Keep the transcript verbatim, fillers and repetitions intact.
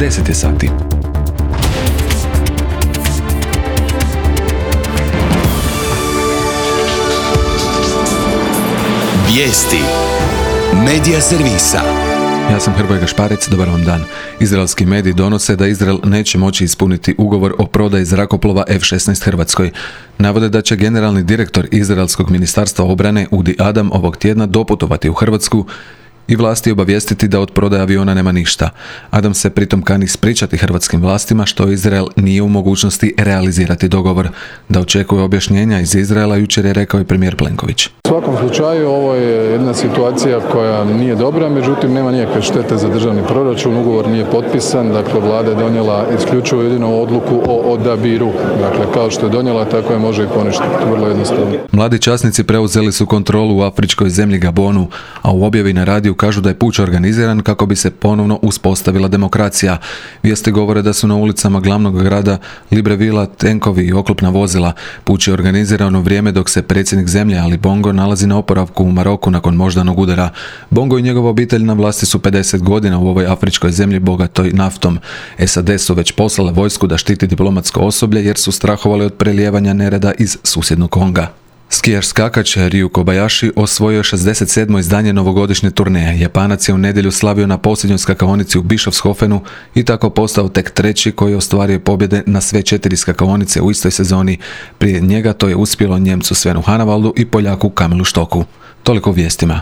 deset je sati. Vijesti Medija servisa. Ja sam Hrvoje Gašparec, dobar vam dan. Izraelski mediji donose da Izrael neće moći ispuniti ugovor o prodaji zrakoplova F šesnaest Hrvatskoj. Navode da će generalni direktor Izraelskog ministarstva obrane Udi Adam ovog tjedna doputovati u Hrvatsku i vlasti obavijestiti da od prodaje aviona nema ništa. Adam se pritom kani ispričati hrvatskim vlastima što Izrael nije u mogućnosti realizirati dogovor. Da očekuje objašnjenja iz Izraela jučer je rekao i premijer Plenković. U svakom slučaju ovo je jedna situacija koja nije dobra, međutim nema nikakve štete za državni proračun, ugovor nije potpisan, dakle vlada je donijela isključivo jedinu odluku o odabiru. Dakle, kao što je donijela, tako je može i poništiti, vrlo jednostavno. Mladi časnici preuzeli su kontrolu u afričkoj zemlji Gabonu, a u objavi na radiju kažu da je puč organiziran kako bi se ponovno uspostavila demokracija. Vijesti govore da su na ulicama glavnog grada Librevilla tenkovi i oklopna vozila. Puč je organiziran u vrijeme dok se predsjednik zemlje Ali Bongo nalazi na oporavku u Maroku nakon moždanog udara. Bongo i njegova obitelj na vlasti su pedeset godina u ovoj afričkoj zemlji bogatoj naftom. S A D su već poslale vojsku da štiti diplomatsko osoblje jer su strahovali od prelijevanja nereda iz susjednog Konga. Skijaš skakač Ryu Kobayashi osvojio je šezdeset sedmo izdanje novogodišnje turneje. Japanac je u nedjelju slavio na posljednjoj skakaonici u Bischofshofenu i tako postao tek treći koji je ostvario pobjede na sve četiri skakaonice u istoj sezoni. Prije njega to je uspjelo Njemcu Svenu Hanavaldu i Poljaku Kamilu Štoku. Toliko u vijestima.